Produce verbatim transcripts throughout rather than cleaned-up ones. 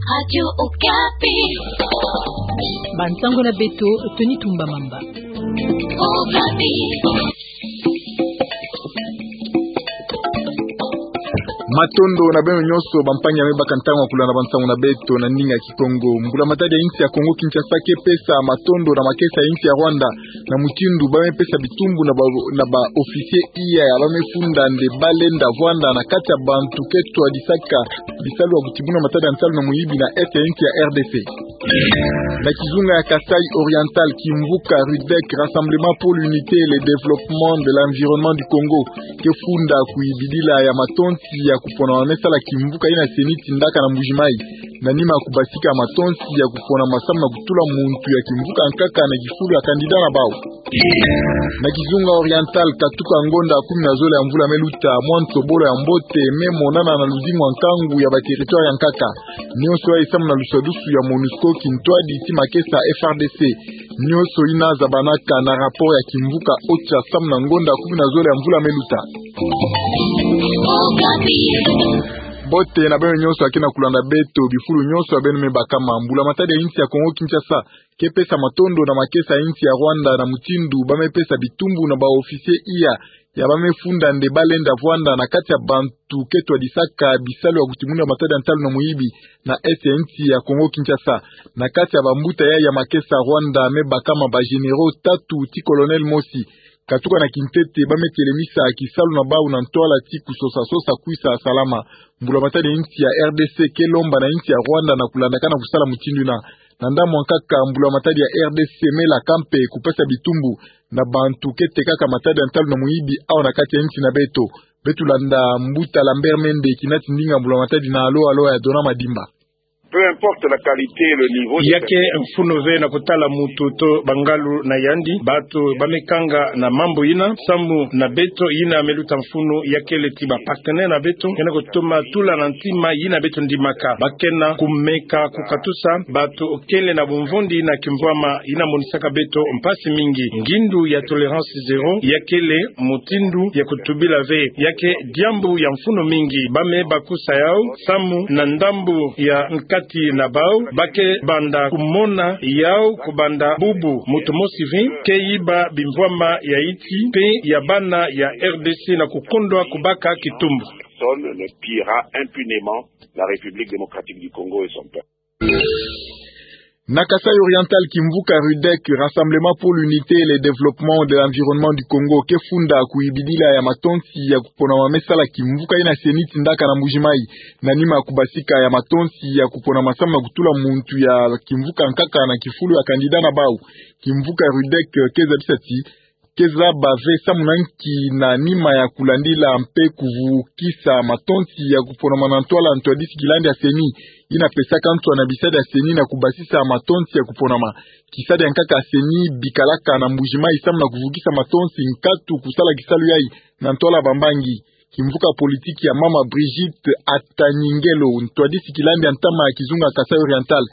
Radio Okapi. Bansango na beto, Tony Tumba Mamba. Okapi. Matondo na beno nyonso, bampangi ya me baka ntangu ya kulanda bansango na beto na ndinga ya Kikongo. Mbula matadi ya insi ya Kongo Kinshasa ke pesa matondo na makesa ya insi ya Rwanda na mutindu ba me pesa bitumbu na ba, na ba officier iya ya ba me funda nde ba lenda vwanda na kati ya bantu ke twadisaka bisalu ya kutibuna matadi ya nsalu na muyibi na est ya insi ya R D C. Na kizunga ya Kasaï Oriental, kimvuka RUDEC, Rassemblement pour l'Unité et le Développement de l'Environnement du Congo, ke funda kuyibidila ya matonsi ya kupona ma me sala kimvuka ina CENI tindaka na Mbuji-Mayi, na nima ya kubasika matonsi ya kupona ma samu na kutula muntu ya kimvuka nkaka na kifulu ya candidat na bawu. Na kizunga Oriental, katuka ngonda kumi na zole ya mvula me luta, mwa nsobolo ya mbote me monana na luzingu ya nkangu ya ba territoire ya nkaka. Nyonso yayi samu na luswadusu ya MONUSCO, kintwadi ti makesa FARDC. Nyonso ina zabanaka na rapport ya kimvuka OCHA samu na ngonda kumi na zole ya mvula me luta. Mbote na beno nyonso ya ke na kulanda beto, bifulu nyonso ya beno me bakama. Mbula matadi ya insi ya Kongo Kinshasa ke pesa matondo na makesa ya insi ya Rwanda na mutindu ba me pesa bitumbu na ba officier iya ya ba me funda nde ba lenda vwanda na kati ya bantu ke twadisaka bisalu ya kutibuna matadi ya nsalu na muyibi na est ya insi ya Kongo Kinshasa. Na kati ya bambuta yayi ya makesa, Rwanda me bakama ba généraux tatu ti colonel mosi. Katuka na kintete, ba me telemisa kisalu na bawu na ntwala ti kusosa-sosa kwisa salama. Mbula matadi ya insi ya R D C ke lomba na insi ya Rwanda na kulandakana kusala mutindu ina. Na ndambu ya nkaka, mbula matadi ya R D C me laka mpe kupesa bitumbu na bantu ke tekaka matadi ya nsalu na muyibi awa na kati ya insi na beto. Beto landa mbuta Lambert Mende, kinati ndinga mbula matadi na Alo Alo ya Dona Madimba. Peu importe la qualité et le niveau de... Ya ke mfunu ve na kutala mutu to bangalu na yandi, bantu ba me kanga na mambu ina, samu na beto ina me luta mfunu ya kele ti ba partenaire na beto, ke na kutuma tula na ntima ina beto ndimaka. Ba ke na kumeka kukatusa bantu kele na bumvundi na kimvwama ina monisaka beto mpasi mingi. Ngindu ya tolérance zéro ya kele mutindu ya kutubila ve, ya ke diambu ya mfunu mingi. Ba me bakusa yawu, samu na ndambu ya nkati na bawu, ba ke banda kumona yawu kubanda bubu mutu mosi ve ke yiba bimvwama ya insi mpe ya bana ya R D C na kukondwa kubaka kitumbu. Personne ne pillera impunément la République démocratique du Congo et son peuple. Na Kasaï Oriental, kimvuka RUDEC, Rassemblement pour l'Unité et le Développement de l'Environnement du Congo, ke funda kuyibidila ya matonsi ya kupona ma me sala kimvuka ina CENI tindaka na Mbuji-Mayi, na nima ya kubasika ya matonsi ya kupona ma samu na kutula muntu ya kimvuka nkaka na kifulu ya candidat na bawu. Kimvuka RUDEC ke zabisa ti ke zaba ve samu na nki na nima ya kulandila mpe kuvukisa matonsi ya kuponama na ntwala ntwadisi kilandi ya CENI, ina pesaka nswa na bisadi ya CENI na kubasisa matonsi ya kuponama. Kisadi ya nkaka CENI bikalaka na Mbuji-Mayi samu na kuvukisa matonsi nkatu kusala kisalu yayi na ntwala bambangi. Kimvuka politiki ya mama Brigitte Atanyingelo, ntwadisi kilandi ya ntama ya kizunga Kasaï Oriental,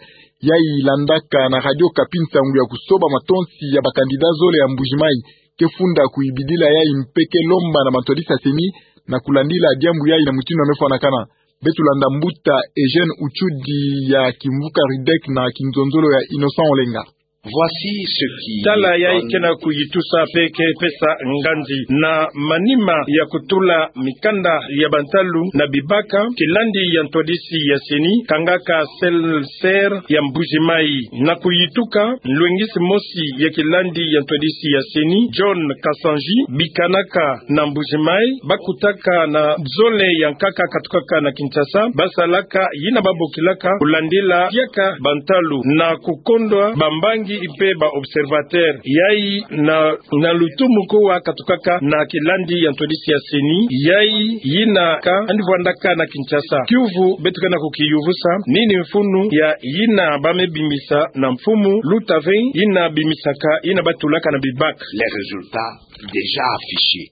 yayi landaka na Radio Okapi nsangu ya kusoba matonsi ya ba candidat zole ya Mbuji-Mayi, ke funda kuyibidila yayi mpe ke lomba na bantwadisi ya CENI na kulandila diambu yayi na mutindu ya me fwanakana. Beto landa mbuta Eugène Uchudi ya kimvuka RUDEC na kinzonzolo ya Innocent Olenga. Voici ce qui... Tala yayi ke na kuyitusa mpe ke pesa nganzi. Na manima ya kutula mikanda ya bantalu na bibaka, kilandi ya ntwadisi ya CENI kangaka seul ser ya Mbuji-Mayi. Na kuyituka, nlwengisi mosi ya kilandi ya ntwadisi ya CENI, John Kasanji, bikanaka na Mbuji-Mayi, bakutaka na zole ya nkaka katukaka na Kinshasa, basalaka yina babokilaka kulandila diaka bantalu na kukondwa bambangi mpe ba observateur. Yayi na, na lutumu kuwa katukaka na kilandi ya ntwadisi ya CENI, yayi yina ka andi vwandaka na Kinshasa. Kiuvu beto ke na kukiyuvusa, nini mfunu ya yina ba me bimisa na mfumu luta ve yina bimisaka yina batulaka na bibaka. Les résultats déjà affichés.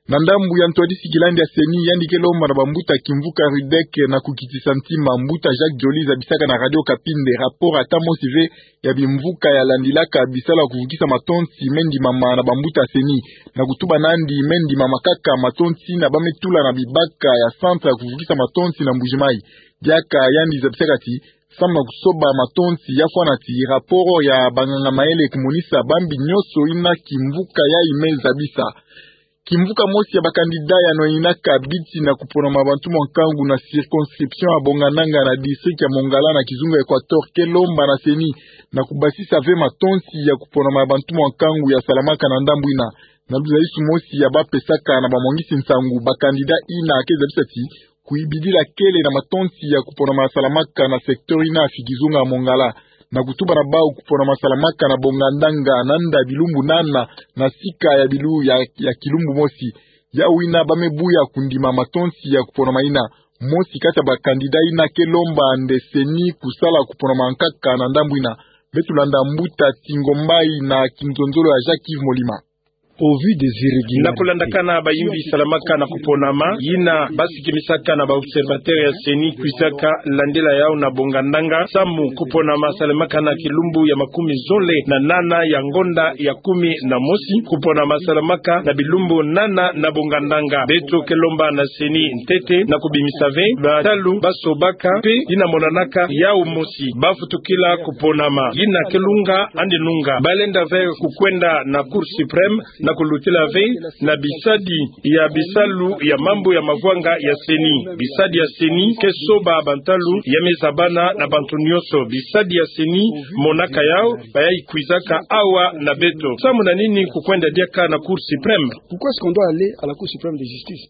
Na ndambu ya ntwadisi kilandi ya CENI, yandi ke lomba na bambuta kimvuka RUDEC na kukitisa ntima. Mbuta Jacques Joly zabisaka na Radio Okapi nde rapport ata mosi ve ya bimvuka ya landilaka bisalu ya kuvukisa matonsi me ndimama na bambuta CENI. Na kutuba nandi, me ndimama kaka matonsi yina ba me tula na bibaka ya centre ya kuvukisa matonsi na Mbuji-Mayi. Diaka yandi zabisaka ti samu na kusoba matonsi. Ya fwana ti rapport ya banganga-mayele kumonisa bambi nionso ina kimvuka yayi me zabisa. Kimvuka mosi ya bakandida yano inaka biti na kuponama ya bantu mwa nkangu na circonscription ya Bongandanga na district ya Mongala na kizunga Equateur ke lomba na CENI na kubasisa ve matonsi ya kuponama ya bantu mwa nkangu ya salamaka na ndambu ina. Na luzalisu mosi ya bapesaka na bamwangisi nsangu, bakandida ina ke zabisa ti kuyibidila kele na matonsi ya kuponama ya salamaka na secteur ina ya kizunga Mongala, na kutuba na bau kuponama ya salamaka na Bongandanga nanda bilumbu nana na sika ya bilu ya, ya kilumbu mosi. Yau ina ba me buya kundima matonsi ya kuponama ina. Mosi kati ya bakandida ina ke lomba nde CENI kusala kuponama nkaka na ndambu ina. Beto landa mbuta Tingombai na kinzonzolo ya Jacques Yves Molima. Au vu des irrégularités. Na kulandakana bayimbi salamaka na kuponama, yina basikimisaka na ba observateurs ya CENI kwizaka landila yau na Bongandanga, samu kuponama salamaka na kilumbu ya makumi zole na nana ya ngonda ya kumi na mosi, kuponama salamaka na bilumbu nana na Bongandanga. Beto ke lomba na CENI ntete na kubimisa ve bantalu basobaka, mpe yina monanaka yau mosi bafutukila kuponama. Yina ke lunga, yandi nunga. Balenda ve kukwenda na Cour suprême na kulutila ve na bisadi ya bisalu ya mambu ya mavwanga ya CENI. Bisadi ya CENI ke soba bantalu ya me zabana na bantu nionso. Bisadi ya CENI monaka yau, bayayi kwizaka awa na beto. Samu na nini kukwenda diaka na Cour suprême? Pourquoi est-ce qu'on doit aller à la Cour suprême de justice?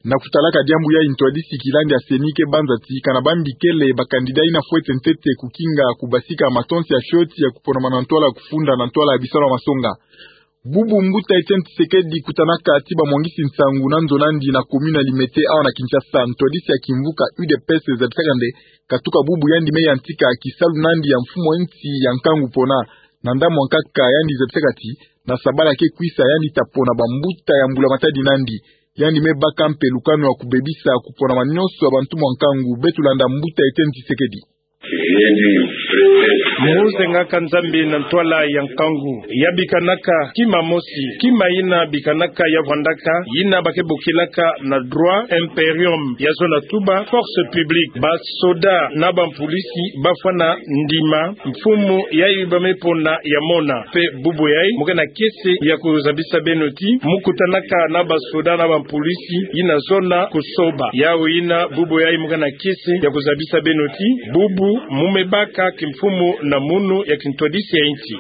Na kutalaka diambu yayi, ntwadisi kilandi ya CENI ke banza ti kana bambi kele bakandida ina fwete ntete kukinga kubasika matonsi ya fioti ya kuponama na ntwala ya kufunda na ntwala ya bisalu ya masonga. Bubu mbuta Etienne Tshisekedi kutanaka ti bamwangisi nsangu na nzo nandi na commune ya Limete awa na Kinshasa, ntwadisi ya kimvuka UDPS zabisaka nde katuka bubu yandi me yantika kisalu nandi ya mfumu a nsi ya nkangu pona. Na ndambu nkaka yandi zabisaka ti na sabala ke kwisa yandi ta pona bambuta ya mbula matadi nandi. Yandi me baka mpe lukanu ya kubebisa kuponama nionso ya bantu mwa nkangu. Beto landa mbuta Etienne Tshisekedi. Mu zengaka Nzambi na ntwala ya nkangu, ya bikanaka kima mosi, kima yina bikanaka ya vwandaka, yina ba ke bokilaka na droit imperium, ya zona tuba force publique. Basoda na bampulisi bafwana ndima mfumu yayi ba me pona ya mona. Mpe bubu yayi mu ke na kiese ya kuzabisa beno ti mu kutanaka na basoda na bampulisi yina zona kusoba. Yau yina bubu yayi mu ke na kiese ya kuzabisa beno ti bubu mu me baka kimfumu na munu ya kintwadisi ya nsi.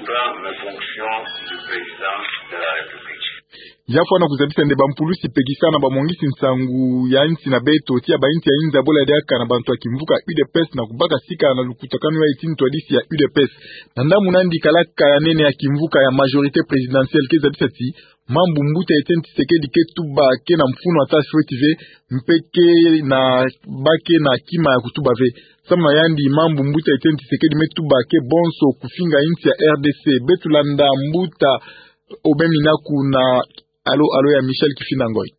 Ya fwana kuzabisa nde bampulisi pekisa na bamwangisi nsangu ya nsi na beto ti ya ba nsi ya inza bola diaka na bantu ya kimvuka UDPS na kubaka sika na lukutakanu yayi ti ntwadisi ya UDPS. Na ndambu nandi kalaka ya nene ya kimvuka ya majorité présidentielle ke zabisa ti mambu mbuta Etienne Tshisekedi ke tuba ke na mfunu ata fioti ve, mpe ke na, ba ke na kima ya kutuba ve. Samu na yandi mambu mbuta Etienne Tshisekedi me tuba ke bonso kufinga nsi ya RDC. Beto landa mbuta Aubin Minaku na alo alo ya Michel Kifinda Ngoy.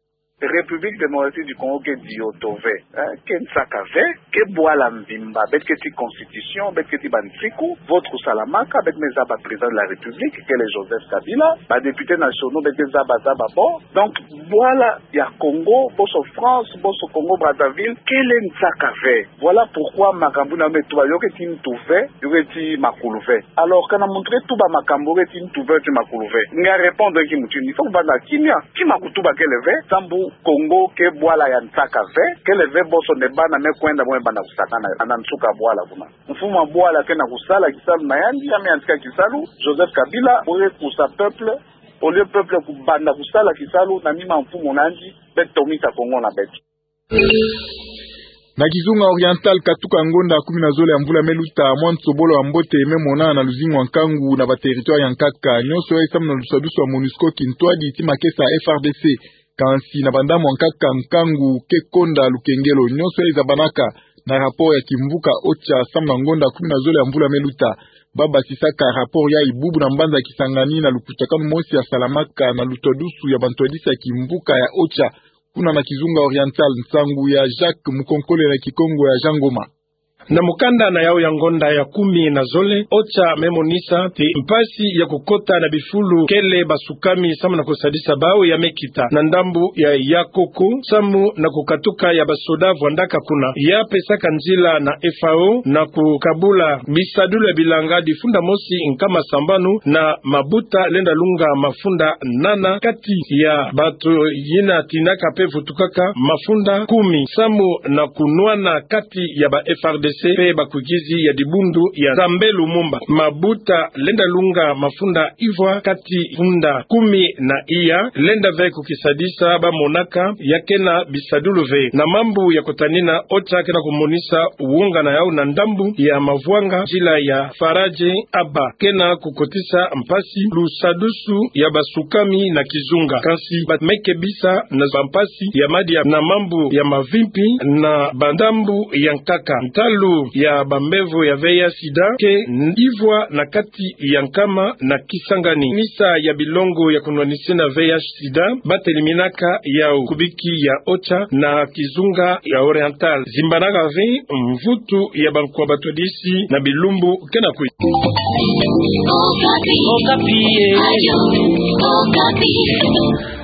République démocratique du Congo ke diyoto ve, hein, ke nsaka ve, ke bwala mvimba, beto ke ti constitution, beto ke ti bansiku, vote kusalamaka, beto me zaba président de la République, kele Joseph Kabila, ba députés nationaux, beto ke zaba zaba bo. Donc, bwala ya Congo, bonso France, bonso Congo Brazzaville, kele nsaka ve. Voilà pourquoi makambu na yo me tuba, yo ke ti ntu ve, yo ke ti makulu ve. Alors, kana muntu ke tuba makambu, yo ke ti ntu ve, yo ke ti makulu ve. Nge répondre ki muntu, il faut kubanda kimia, kima kutuba kele ve, samu Congo ke bwala ya nsaka ve, kele ve bonso nde bana me kwenda, bo me banda kusakana na nsuka bwala kuna. Mfumu a bwala ke na kusala kisalu na yandi, ya me yantika kisalu, Joseph Kabila, bo ke kusa peuple, au lieu peuple kubanda kusala kisalu na nima mfumu nandi, beto tomisa Congo na beto. Na kizunga Oriental, katuka ngonda kumi na zole ya mvula me luta, mwa nsobolo ya mbote me mona na luzingu ya nkangu na ba territoire ya nkaka. Nionso yayi samu na lusadisu ya MONUSCO, kintwadi ti makesa ya FARDC. Kansi na bandambu ya nkaka, nkangu ke konda lukengelo. Nionso yayi zabanaka na rapport ya kimvuka OCHA samu na ngonda kumi na zole ya mvula me luta. Ba basisaka rapport yayi bubu na mbanza Kisangani na lukutakanu mosi ya salamaka na lutwadusu ya bantwadisi ya kimvuka ya OCHA kuna na kizunga Oriental. Nsangu ya Jacques Mukonkole na Kikongo ya Jean Ngoma. Na mukanda na yau ya ngonda ya kumi na zole, OCHA me monisa ti mpasi ya kukota na bifulu kele basukami samu na kusadisa bau ya me kita na ndambu ya Yakoko, samu na kukatuka ya basoda vwandaka kuna. Ya pesaka nzila na F A O na kukabula bisadulu ya bilanga difunda mosi nkama sambanu na mabuta lenda lunga mafunda nana kati ya bato yina tinaka pe vutukaka mafunda kumi, samu na kunwana kati ya ba F R D C pe bakukizi ya dibundu ya Nzambe Lumumba. Mabuta lenda lunga mafunda ivwa kati funda kumi na iya, lenda ve kukisadisa ba monaka ya kena bisadulu ve. Na mambu ya kutanina, OCHA kena kumonisa wonga na yau na ndambu ya mavwanga nzila ya Faradje Aba, kena kukotisa mpasi lusadusu ya basukami na kizunga. Kansi bamekebisa na bampasi ya madia na mambu ya mavimpi na bandambu ya nkaka. Ntalu ya bambevo ya V I H sida ke ivwa na kati ya nkama na Kisangani. Misa ya bilongo ya kunwanisina V I H sida bateliminaka yau kubiki ya OCHA na kizunga ya Oriental. Zimbanaka ve mvutu ya bankwa batwadisi na bilumbu kena kwe. Okapi. Okapi.